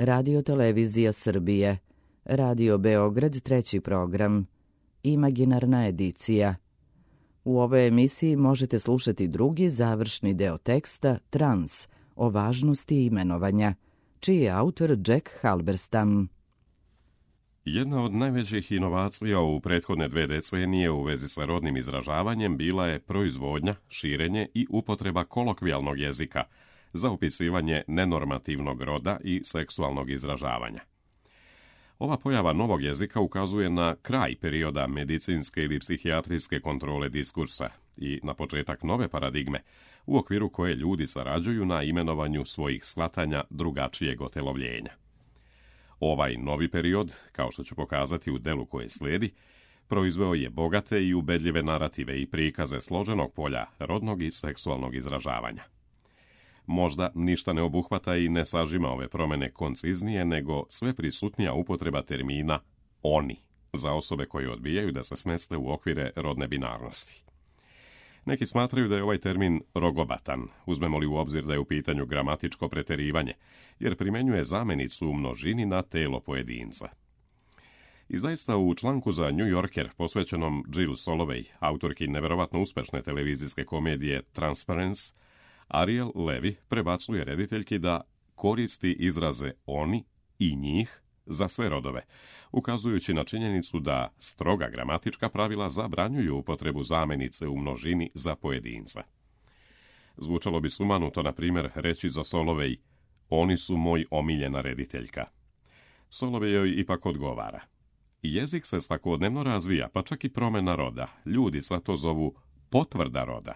Radio Televizija Srbije, Radio Beograd treći program, Imaginarna edicija. U ovoj emisiji možete slušati drugi završni deo teksta Trans o važnosti imenovanja, čiji je autor Jack Halberstam. Jedna od najvećih inovacija u prethodne 2 decenije u vezi sa rodnim izražavanjem bila je proizvodnja, širenje i upotreba kolokvijalnog jezika za opisivanje nenormativnog roda i seksualnog izražavanja. Ova pojava novog jezika ukazuje na kraj perioda medicinske ili psihijatrijske kontrole diskursa i na početak nove paradigme u okviru koje ljudi sarađuju na imenovanju svojih shvatanja drugačijeg otelovljenja. Ovaj novi period, kao što ću pokazati u delu koje slijedi, proizveo je bogate i ubedljive narative i prikaze složenog polja rodnog i seksualnog izražavanja. Možda ništa ne obuhvata i ne sažima ove promjene konciznije, nego sve prisutnija upotreba termina oni za osobe koje odbijaju da se smeste u okvire rodne binarnosti. Neki smatraju da je ovaj termin rogobatan, uzmemo li u obzir da je u pitanju gramatičko preterivanje, jer primjenjuje zamenicu u množini na telo pojedinca. I zaista u članku za New Yorker posvećenom Jill Soloway, autorki neverovatno uspešne televizijske komedije Transparence, Ariel Levy prebacuje rediteljki da koristi izraze oni i njih za sve rodove, ukazujući na činjenicu da stroga gramatička pravila zabranjuju upotrebu zamenice u množini za pojedinca. Zvučalo bi sumanuto, na primjer, reći za Soloway, oni su moj omiljena rediteljka. Soloway joj ipak odgovara. Jezik se svakodnevno razvija, pa čak i promjena roda. Ljudi sad to zovu potvrda roda.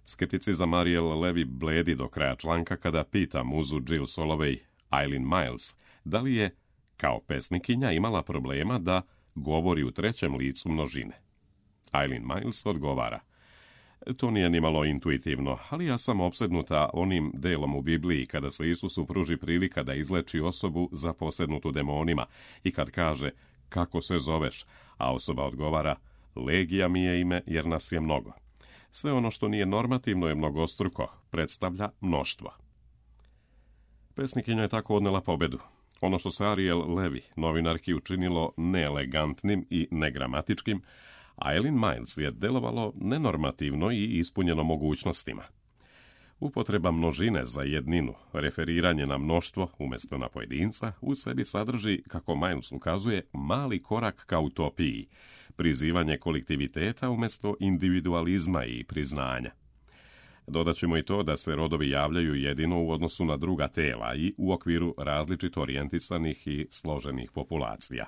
Skepticizam Ariel Levy bledi do kraja članka kada pita muzu Jill Soloway, Eileen Miles, da li je, kao pesnikinja, imala problema da govori u trećem licu množine. Eileen Miles odgovara, to nije nimalo intuitivno, ali ja sam opsednuta onim delom u Bibliji kada se Isusu pruži prilika da izleči osobu zaposednutu demonima i kad kaže, kako se zoveš, a osoba odgovara, legija mi je ime jer nas je mnogo. Sve ono što nije normativno je mnogostruko, predstavlja mnoštvo. Pesnikinja je tako odnela pobedu. Ono što se Ariel Levy, novinarki, učinilo neelegantnim i negramatičkim, a Eileen Miles je delovalo nenormativno i ispunjeno mogućnostima. Upotreba množine za jedninu, referiranje na mnoštvo umjesto na pojedinca, u sebi sadrži, kako Miles ukazuje, mali korak ka utopiji, prizivanje kolektiviteta umjesto individualizma i priznanja. Dodat ćemo i to da se rodovi javljaju jedino u odnosu na druga tela i u okviru različito orijentisanih i složenih populacija.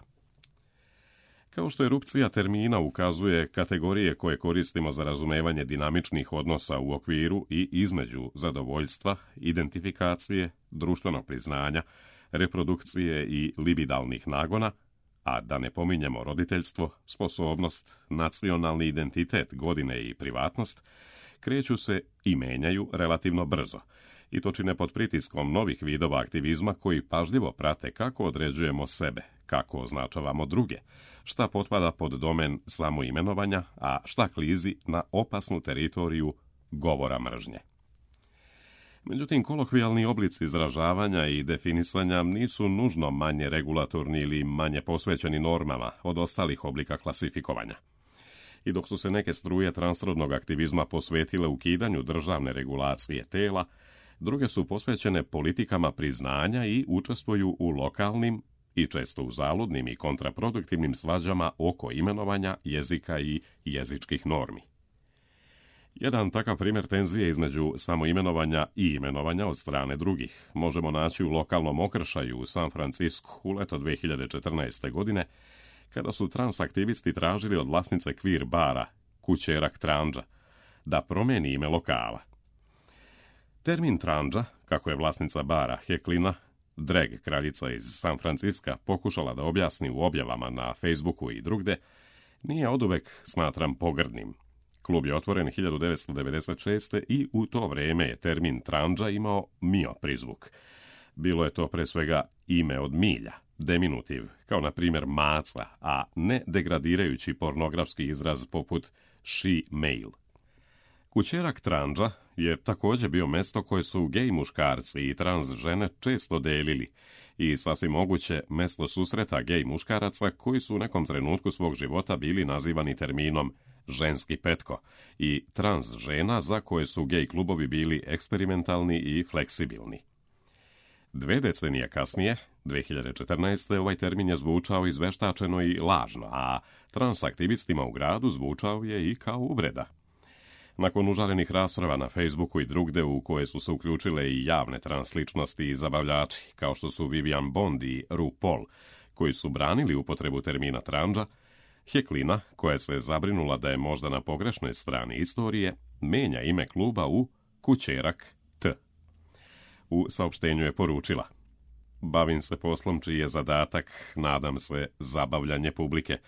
Kao što erupcija termina ukazuje kategorije koje koristimo za razumevanje dinamičnih odnosa u okviru i između zadovoljstva, identifikacije, društvenog priznanja, reprodukcije i libidalnih nagona, a da ne pominjemo roditeljstvo, sposobnost, nacionalni identitet, godine i privatnost, kreću se i menjaju relativno brzo, i to čine pod pritiskom novih vidova aktivizma koji pažljivo prate kako određujemo sebe, kako označavamo druge, šta potpada pod domen samoimenovanja, a šta klizi na opasnu teritoriju govora mržnje. Međutim, kolokvijalni oblici izražavanja i definisanja nisu nužno manje regulatorni ili manje posvećeni normama od ostalih oblika klasifikovanja. I dok su se neke struje transrodnog aktivizma posvetile ukidanju državne regulacije tela, druge su posvećene politikama priznanja i učestvuju u lokalnim i često u zaludnim i kontraproduktivnim svađama oko imenovanja jezika i jezičkih normi. Jedan takav primjer tenzije između samoimenovanja i imenovanja od strane drugih možemo naći u lokalnom okršaju u San Francisku u leto 2014. godine, kada su transaktivisti tražili od vlasnice queer bara, Kućerak Trandža, da promijeni ime lokala. Termin Trandža, kako je vlasnica bara Heklina, drag kraljica iz San Francisca, pokušala da objasni u objavama na Facebooku i drugde, nije oduvek smatram pogrdnim. Klub je otvoren 1996. i u to vrijeme je termin Trandža imao mio prizvuk. Bilo je to pre svega ime od milja, deminutiv, kao na primjer maca, a ne degradirajući pornografski izraz poput she male. Kućerak Trandža je također bio mesto koje su gej muškarci i trans žene često delili i sasvim moguće mesto susreta gej muškaraca koji su u nekom trenutku svog života bili nazivani terminom ženski petko i trans žena za koje su gej klubovi bili eksperimentalni i fleksibilni. 2 decenije kasnije, 2014. ovaj termin je zvučao izveštačeno i lažno, a transaktivistima u gradu zvučao je i kao uvreda. Nakon užarenih rasprava na Facebooku i drugde u koje su se uključile i javne transličnosti i zabavljači, kao što su Vivian Bond i RuPaul, koji su branili upotrebu termina tranđa, Heklina, koja se zabrinula da je možda na pogrešnoj strani istorije, menja ime kluba u Kućerak T. U saopštenju je poručila: bavim se poslom čiji je zadatak, nadam se, zabavljanje publike.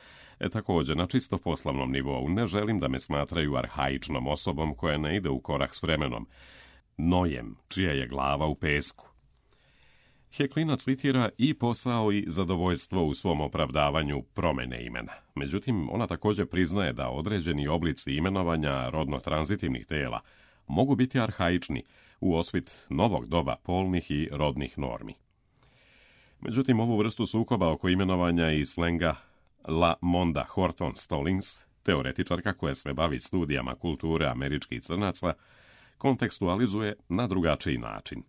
Također, na čisto poslovnom nivou ne želim da me smatraju arhaičnom osobom koja ne ide u korak s vremenom. Nojem, čija je glava u pesku. Heklina citira i posao i zadovoljstvo u svom opravdavanju promene imena. Međutim, ona također priznaje da određeni oblici imenovanja rodno-tranzitivnih tela mogu biti arhaični u osvit novog doba polnih i rodnih normi. Međutim, ovu vrstu sukoba oko imenovanja i slenga La Monda Horton Stallings, teoretičarka koja se bavi studijama kulture američkih crnaca, kontekstualizuje na drugačiji način.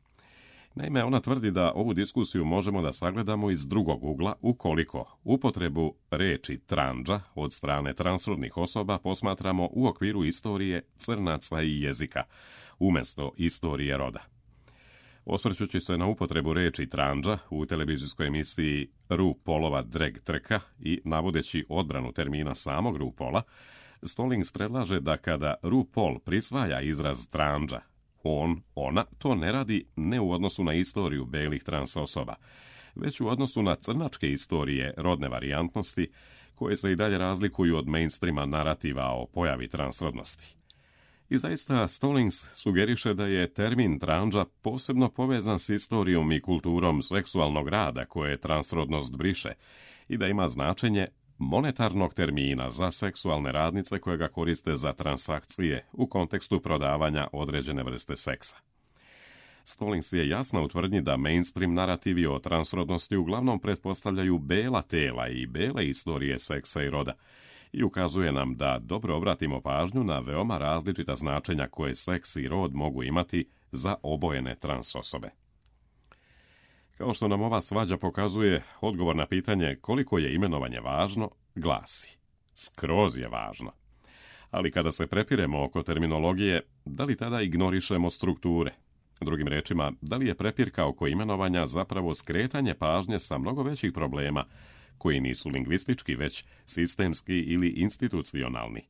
Naime, ona tvrdi da ovu diskusiju možemo da sagledamo iz drugog ugla ukoliko upotrebu reči tranđa od strane transrodnih osoba posmatramo u okviru istorije crnaca i jezika, umjesto istorije roda. Osvrćući se na upotrebu reči tranđa u televizijskoj emisiji RuPaulova drag trka i navodeći odbranu termina samog RuPaula, Stallings predlaže da kada RuPaul prisvaja izraz tranđa, ona to ne radi ne u odnosu na istoriju belih trans osoba, već u odnosu na crnačke istorije rodne varijantnosti koje se i dalje razlikuju od mainstreama narativa o pojavi transrodnosti. I zaista Stallings sugeriše da je termin tranđa posebno povezan s istorijom i kulturom seksualnog rada koje transrodnost briše i da ima značenje monetarnog termina za seksualne radnice koje ga koriste za transakcije u kontekstu prodavanja određene vrste seksa. Stallings je jasna u tvrdnji da mainstream narativi o transrodnosti uglavnom pretpostavljaju bela tela i bele istorije seksa i roda i ukazuje nam da dobro obratimo pažnju na veoma različita značenja koje seks i rod mogu imati za obojene trans osobe. Kao što nam ova svađa pokazuje, odgovor na pitanje koliko je imenovanje važno glasi: skroz je važno. Ali kada se prepiremo oko terminologije, da li tada ignorišemo strukture? Drugim rečima, da li je prepirka oko imenovanja zapravo skretanje pažnje sa mnogo većih problema koji nisu lingvistički, već sistemski ili institucionalni?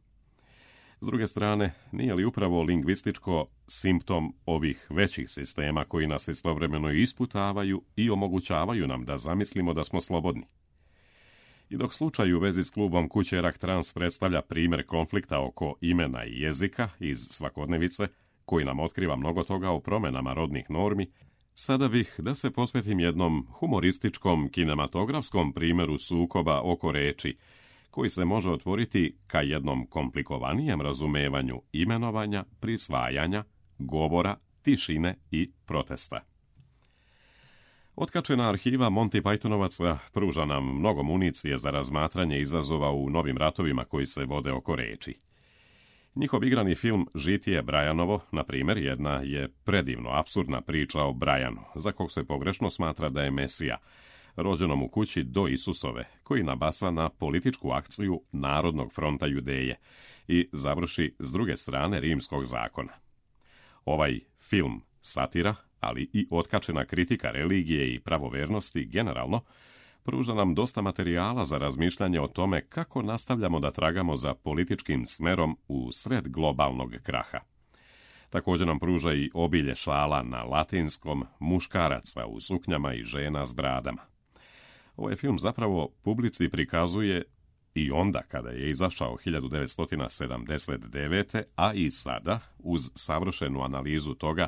S druge strane, nije li upravo lingvističko simptom ovih većih sistema koji nas istovremeno isputavaju i omogućavaju nam da zamislimo da smo slobodni? I dok slučaj u vezi s klubom Kućerak Trans predstavlja primjer konflikta oko imena i jezika iz svakodnevice, koji nam otkriva mnogo toga o promjenama rodnih normi, sada bih da se posvetim jednom humorističkom kinematografskom primjeru sukoba oko reči, koji se može otvoriti ka jednom komplikovanijem razumevanju imenovanja, prisvajanja, govora, tišine i protesta. Otkačena arhiva Monty Pythonovaca pruža nam mnogo municije za razmatranje izazova u novim ratovima koji se vode oko reči. Njihov igrani film Žitije Brianovo, na primjer, jedna je predivno apsurdna priča o Brianu, za kog se pogrešno smatra da je Mesija, rođenom u kući do Isusove, koji nabasa na političku akciju Narodnog fronta Judeje i završi s druge strane rimskog zakona. Ovaj film satira, ali i otkačena kritika religije i pravovernosti generalno, pruža nam dosta materijala za razmišljanje o tome kako nastavljamo da tragamo za političkim smerom u sred globalnog kraha. Također nam pruža i obilje šala na latinskom, muškaraca u suknjama i žena s bradama. Ovaj film zapravo publici prikazuje i onda kada je izašao 1979. a i sada, uz savršenu analizu toga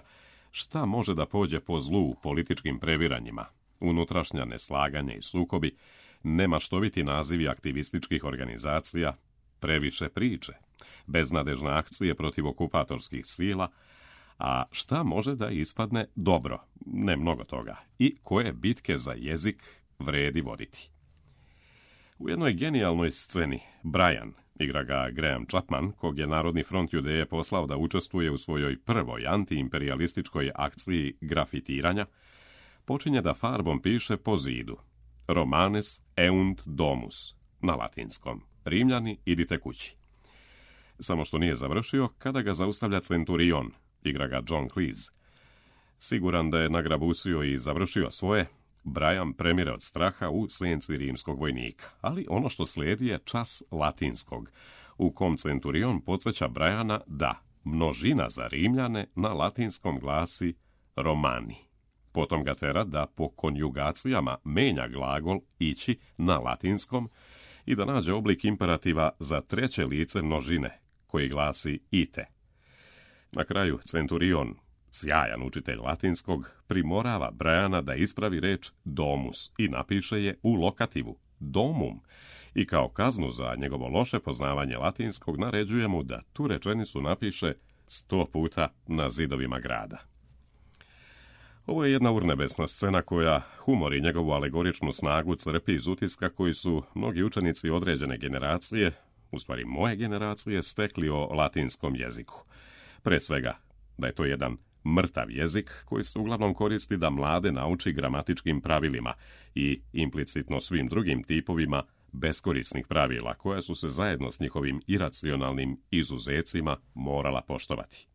šta može da pođe po zlu u političkim previranjima, unutrašnja neslaganja i sukobi, nemaštoviti nazivi aktivističkih organizacija, previše priče, beznadežne akcije protiv okupatorskih sila, A šta može da ispadne dobro? Ne mnogo toga. I koje bitke za jezik vredi voditi? U jednoj genijalnoj sceni Brian, igra ga Graham Chapman, kog je Narodni front Judeje poslao da učestvuje u svojoj prvoj antiimperialističkoj akciji grafitiranja, počinje da farbom piše po zidu Romanes eunt domus, na latinskom. Rimljani, idite kući. Samo što nije završio kada ga zaustavlja Centurion, igra ga John Cleese. Siguran da je nagrabusio i završio svoje, Brian premire od straha u senci rimskog vojnika. Ali ono što slijedi je čas latinskog, u kom Centurion podsjeća Briana da množina za Rimljane na latinskom glasi Romani. Potom ga tera da po konjugacijama menja glagol ići na latinskom i da nađe oblik imperativa za treće lice množine, koji glasi ite. Na kraju Centurion, sjajan učitelj latinskog, primorava Briana da ispravi reč domus i napiše je u lokativu domum i kao kaznu za njegovo loše poznavanje latinskog naređuje mu da tu rečenicu napiše 100 puta na zidovima grada. Ovo je jedna urnebesna scena koja humor i njegovu alegoričnu snagu crpi iz utiska koji su mnogi učenici određene generacije, u stvari moje generacije, stekli o latinskom jeziku. Pre svega, da je to jedan mrtav jezik koji se uglavnom koristi da mlade nauči gramatičkim pravilima i implicitno svim drugim tipovima beskorisnih pravila koja su se zajedno s njihovim iracionalnim izuzecima morala poštovati.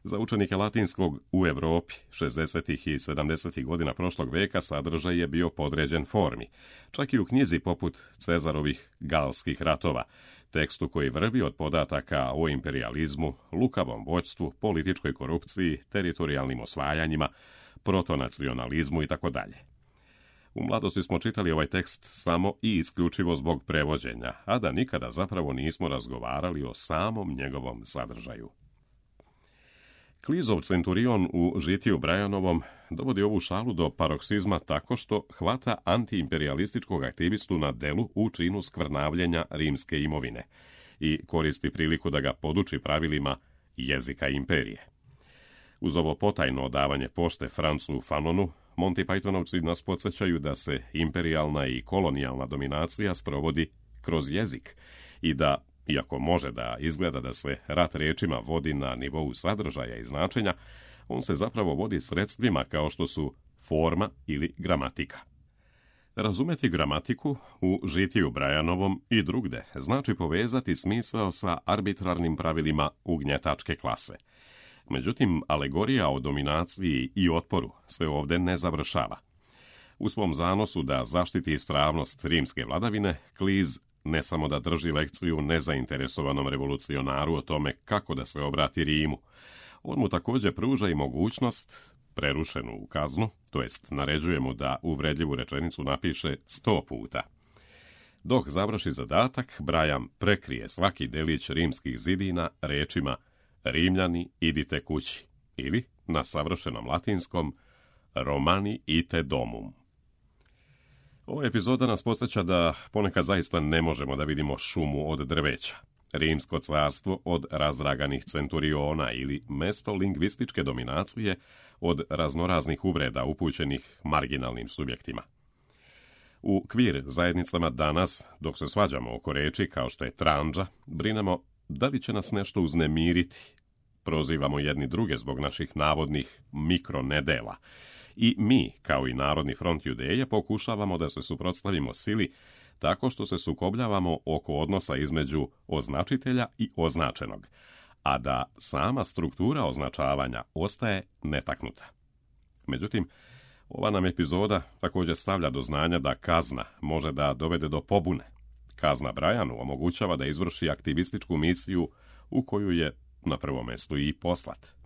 Za učenike latinskog u Europi 60. i 70. godina prošlog veka sadržaj je bio podređen formi, čak i u knjizi poput Cezarovih galskih ratova, tekstu koji vrvi od podataka o imperializmu, lukavom vođstvu, političkoj korupciji, teritorijalnim osvajanjima, protonacionalizmu itd. U mladosti smo čitali ovaj tekst samo i isključivo zbog prevođenja, a da nikada zapravo nismo razgovarali o samom njegovom sadržaju. Cleeseov Centurion u Žitiju Brianovom dovodi ovu šalu do paroksizma tako što hvata antiimperialističkog aktivistu na delu u činu skvrnavljenja rimske imovine i koristi priliku da ga poduči pravilima jezika imperije. Uz ovo potajno odavanje pošte Francu Fanonu, Monty Pythonovci nas podsjećaju da se imperijalna i kolonijalna dominacija sprovodi kroz jezik i da, iako može da izgleda da se rat rečima vodi na nivou sadržaja i značenja, on se zapravo vodi sredstvima kao što su forma ili gramatika. Razumeti gramatiku u Žitiju Brianovom i drugde znači povezati smisao sa arbitrarnim pravilima ugnjetačke klase. Međutim, alegorija o dominaciji i otporu se ovdje ne završava. U svom zanosu da zaštiti ispravnost rimske vladavine, Cleese ne samo da drži lekciju nezainteresovanom revolucionaru o tome kako da se obrati Rimu, on mu također pruža i mogućnost, prerušenu u kaznu, to jest naređuje mu da uvredljivu rečenicu napiše 100 puta. Dok završi zadatak, Brian prekrije svaki delić rimskih zidina rečima Rimljani, idite kući, ili, na savršenom latinskom, Romani ite domum. Ova epizoda nas podsjeća da ponekad zaista ne možemo da vidimo šumu od drveća, rimsko carstvo od razdraganih centuriona ili mesto lingvističke dominacije od raznoraznih uvreda upućenih marginalnim subjektima. U kvir zajednicama danas, dok se svađamo oko reči kao što je tranđa, brinemo da li će nas nešto uznemiriti. Prozivamo jedni druge zbog naših navodnih mikronedela. I mi, kao i Narodni front Judeje, pokušavamo da se suprotstavimo sili tako što se sukobljavamo oko odnosa između označitelja i označenog, a da sama struktura označavanja ostaje netaknuta. Međutim, ova nam epizoda također stavlja do znanja da kazna može da dovede do pobune. Kazna Brianu omogućava da izvrši aktivističku misiju u koju je na prvom mjestu i poslat.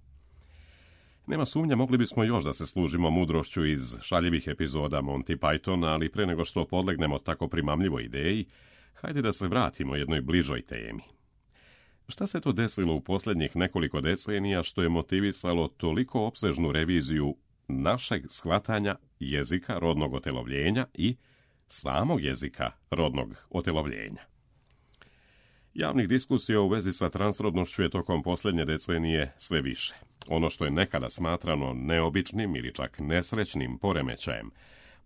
Nema sumnje, mogli bismo još da se služimo mudrošću iz šaljivih epizoda Monty Pythona, ali pre nego što podlegnemo tako primamljivoj ideji, hajde da se vratimo jednoj bližoj temi. Šta se to desilo u posljednjih nekoliko decenija što je motivisalo toliko opsežnu reviziju našeg shvatanja jezika rodnog otelovljenja i samog jezika rodnog otelovljenja? Javnih diskusija u vezi sa transrodnošću je tokom posljednje decenije sve više. Ono što je nekada smatrano neobičnim ili čak nesrećnim poremećajem,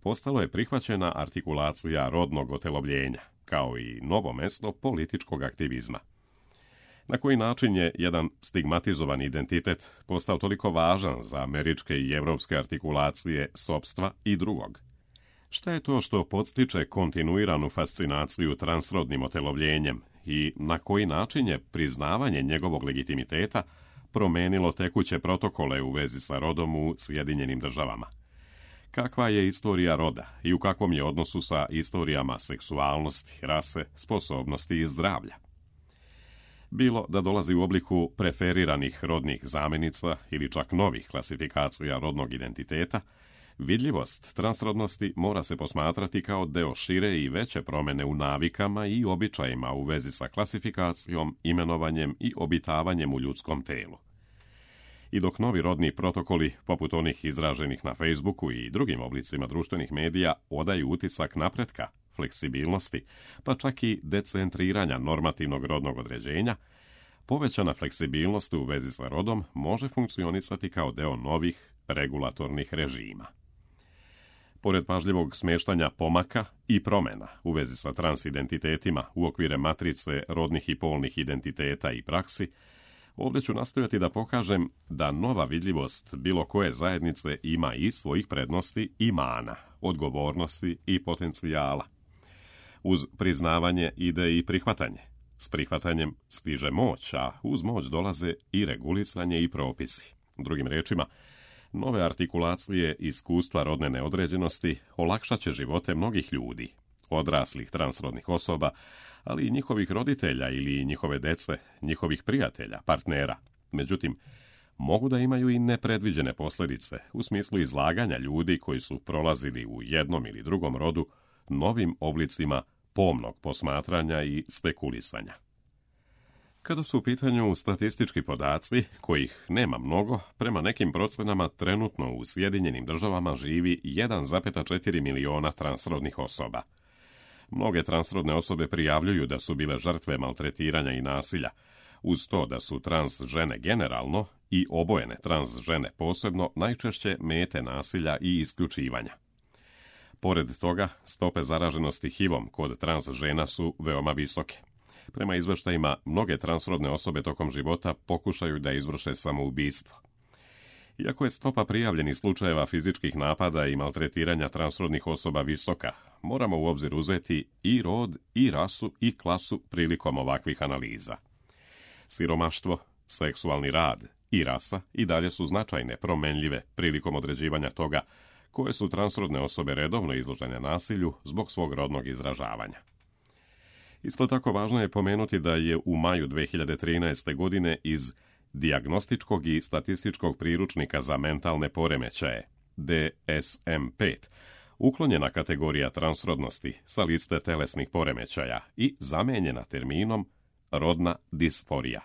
postalo je prihvaćena artikulacija rodnog otelovljenja, kao i novo mesto političkog aktivizma. Na koji način je jedan stigmatizovan identitet postao toliko važan za američke i evropske artikulacije sopstva i drugog? Šta je to što podstiče kontinuiranu fascinaciju transrodnim otelovljenjem i na koji način je priznavanje njegovog legitimiteta promenilo tekuće protokole u vezi sa rodom u Sjedinjenim Državama? Kakva je istorija roda i u kakvom je odnosu sa istorijama seksualnosti, rase, sposobnosti i zdravlja? Bilo da dolazi u obliku preferiranih rodnih zamjenica ili čak novih klasifikacija rodnog identiteta, vidljivost transrodnosti mora se posmatrati kao deo šire i veće promjene u navikama i običajima u vezi sa klasifikacijom, imenovanjem i obitavanjem u ljudskom telu. I dok novi rodni protokoli, poput onih izraženih na Facebooku i drugim oblicima društvenih medija, odaju utisak napretka, fleksibilnosti, pa čak i decentriranja normativnog rodnog određenja, povećana fleksibilnost u vezi sa rodom može funkcionisati kao deo novih regulatornih režima. Pored pažljivog smještanja pomaka i promjena u vezi sa transidentitetima u okvire matrice rodnih i polnih identiteta i praksi, ovdje ću nastojati da pokažem da nova vidljivost bilo koje zajednice ima i svojih prednosti i mana, odgovornosti i potencijala. Uz priznavanje ide i prihvatanje. S prihvatanjem stiže moć, a uz moć dolaze i regulisanje i propisi. Drugim riječima, nove artikulacije iskustva rodne neodređenosti olakšat će živote mnogih ljudi, odraslih transrodnih osoba, ali i njihovih roditelja ili njihove dece, njihovih prijatelja, partnera. Međutim, mogu da imaju i nepredviđene posljedice u smislu izlaganja ljudi koji su prolazili u jednom ili drugom rodu novim oblicima pomnog posmatranja i spekulisanja. Kada su u pitanju statistički podaci, kojih nema mnogo, prema nekim procenama trenutno u Sjedinjenim Državama živi 1,4 miliona transrodnih osoba. Mnoge transrodne osobe prijavljuju da su bile žrtve maltretiranja i nasilja, uz to da su trans žene generalno i obojene trans žene posebno najčešće mete nasilja i isključivanja. Pored toga, stope zaraženosti HIV-om kod trans žena su veoma visoke. Prema izveštajima, mnoge transrodne osobe tokom života pokušaju da izvrše samoubistvo. Iako je stopa prijavljenih slučajeva fizičkih napada i maltretiranja transrodnih osoba visoka, moramo u obzir uzeti i rod, i rasu, i klasu prilikom ovakvih analiza. Siromaštvo, seksualni rad i rasa i dalje su značajne promenljive prilikom određivanja toga koje su transrodne osobe redovno izložene nasilju zbog svog rodnog izražavanja. Isto tako važno je pomenuti da je u maju 2013. godine iz Dijagnostičkog i statističkog priručnika za mentalne poremećaje, DSM-5, uklonjena kategorija transrodnosti sa liste telesnih poremećaja i zamenjena terminom rodna disforija.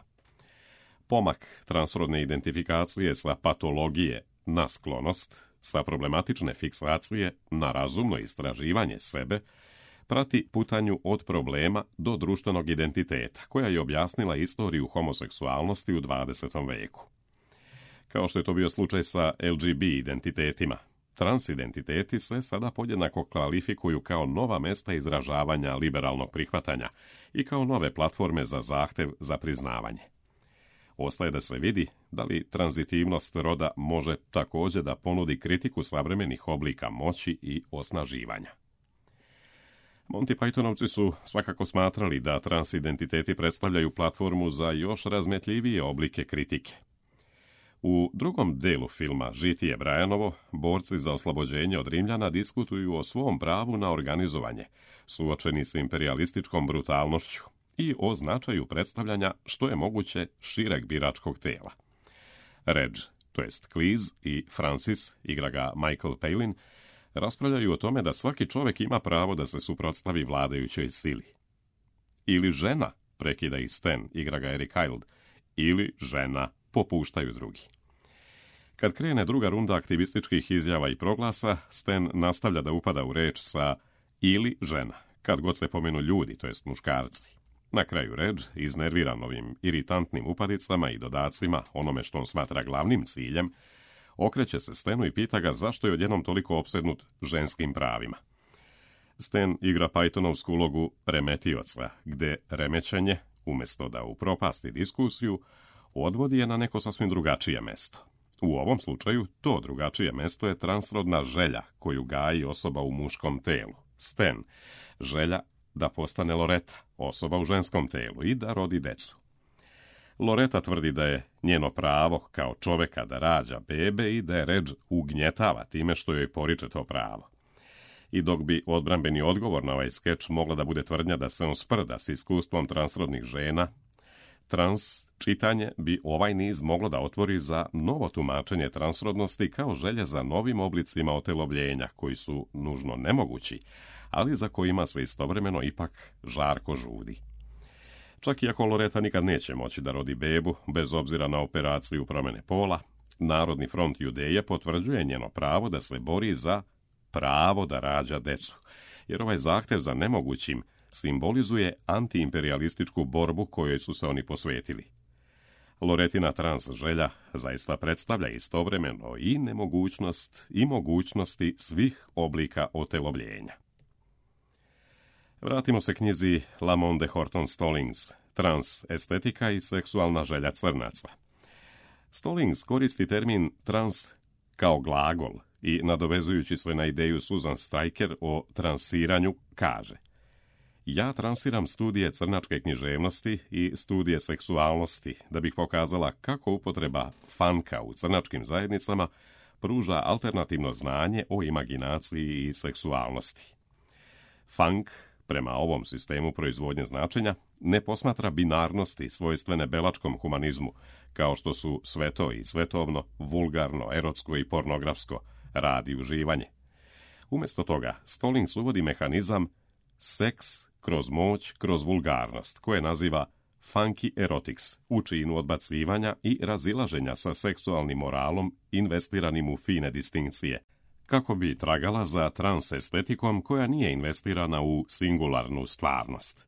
Pomak transrodne identifikacije sa patologije na sklonost, sa problematične fiksacije na razumno istraživanje sebe, prati putanju od problema do društvenog identiteta, koja je objasnila istoriju homoseksualnosti u 20. veku. Kao što je to bio slučaj sa LGB identitetima, transidentiteti se sada podjednako kvalifikuju kao nova mesta izražavanja liberalnog prihvatanja i kao nove platforme za zahtev za priznavanje. Ostaje da se vidi da li tranzitivnost roda može također da ponudi kritiku savremenih oblika moći i osnaživanja. Monty Pythonovci su svakako smatrali da transidentiteti predstavljaju platformu za još razmetljivije oblike kritike. U drugom delu filma Žitije Brianovo, borci za oslobođenje od Rimljana diskutuju o svom pravu na organizovanje, suočeni s imperialističkom brutalnošću i o značaju predstavljanja što je moguće šireg biračkog tela. Reg, to jest Cleese i Francis, igra ga Michael Palin, raspravljaju o tome da svaki čovjek ima pravo da se suprotstavi vladajućoj sili. Ili žena, prekida ih Stan, igra ga Eric Idle, ili žena, popuštaju drugi. Kad krene druga runda aktivističkih izjava i proglasa, Stan nastavlja da upada u reč sa ili žena, kad god se pomenu ljudi, to jest muškarci. Na kraju Reg, iznerviran ovim iritantnim upadicama i dodacima, onome što on smatra glavnim ciljem, okreće se Stanu i pita ga zašto je odjednom toliko opsednut ženskim pravima. Stan igra Pythonovsku ulogu remetioca, gde remećenje, umjesto da upropasti diskusiju, odvodi je na neko sasvim drugačije mesto. U ovom slučaju to drugačije mesto je transrodna želja koju gaji osoba u muškom telu, Stan, želja da postane Loreta, osoba u ženskom telu i da rodi decu. Loreta tvrdi da je njeno pravo kao čoveka da rađa bebe i da je Reg ugnjetava time što joj poriče to pravo. I dok bi odbrambeni odgovor na ovaj skeč mogla da bude tvrdnja da se on sprda s iskustvom transrodnih žena, čitanje bi ovaj niz moglo da otvori za novo tumačenje transrodnosti kao želje za novim oblicima otelovljenja koji su nužno nemogući, ali za kojima se istovremeno ipak žarko žudi. Čak i ako Loreta nikad neće moći da rodi bebu, bez obzira na operaciju promjene pola, Narodni front Judeje potvrđuje njeno pravo da se bori za pravo da rađa decu, jer ovaj zahtev za nemogućim simbolizuje antiimperialističku borbu kojoj su se oni posvetili. Loretina trans želja zaista predstavlja istovremeno i nemogućnost i mogućnosti svih oblika otelovljenja. Vratimo se knjizi Lamont de Horton Stallings, Trans estetika i seksualna želja crnaca. Stallings koristi termin trans kao glagol i, nadovezujući se na ideju Susan Stryker o transiranju, kaže: ja transiram studije crnačke književnosti i studije seksualnosti da bih pokazala kako upotreba funka u crnačkim zajednicama pruža alternativno znanje o imaginaciji i seksualnosti. Funk, prema ovom sistemu proizvodnje značenja, ne posmatra binarnosti svojstvene belačkom humanizmu, kao što su sveto i svetovno, vulgarno, erotsko i pornografsko, rad i uživanje. Umjesto toga, Stallings uvodi mehanizam seks kroz moć, kroz vulgarnost, koje naziva funky erotics, u činu odbacivanja i razilaženja sa seksualnim moralom investiranim u fine distinkcije, kako bi tragala za trans estetikom koja nije investirana u singularnu stvarnost.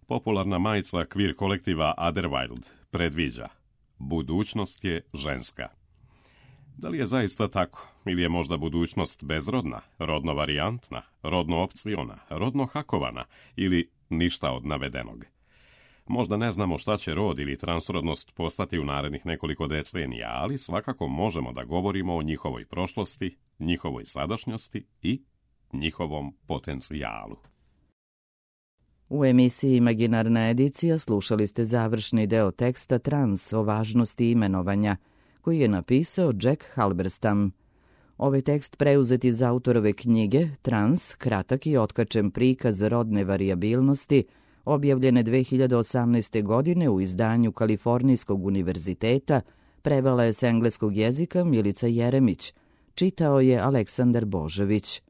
Popularna majica queer kolektiva Otherwild predviđa: budućnost je ženska. Da li je zaista tako, ili je možda budućnost bezrodna, rodno varijantna, rodno opciona, rodno hakovana ili ništa od navedenog? Možda ne znamo šta će rod ili transrodnost postati u narednih nekoliko decenija, ali svakako možemo da govorimo o njihovoj prošlosti, njihovoj sadašnjosti i njihovom potencijalu. U emisiji Imaginarna edicija slušali ste završni deo teksta Trans o važnosti imenovanja, koji je napisao Jack Halberstam. Ovaj tekst preuzet iz autorove knjige Trans, kratak i otkačen prikaz rodne varijabilnosti, objavljene 2018. godine u izdanju Kalifornijskog univerziteta, prevela je s engleskog jezika Milica Jeremić, čitao je Aleksandar Božović.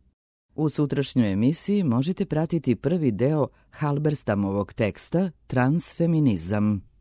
U sutrašnjoj emisiji možete pratiti prvi deo Halberstamovog teksta Transfeminizam.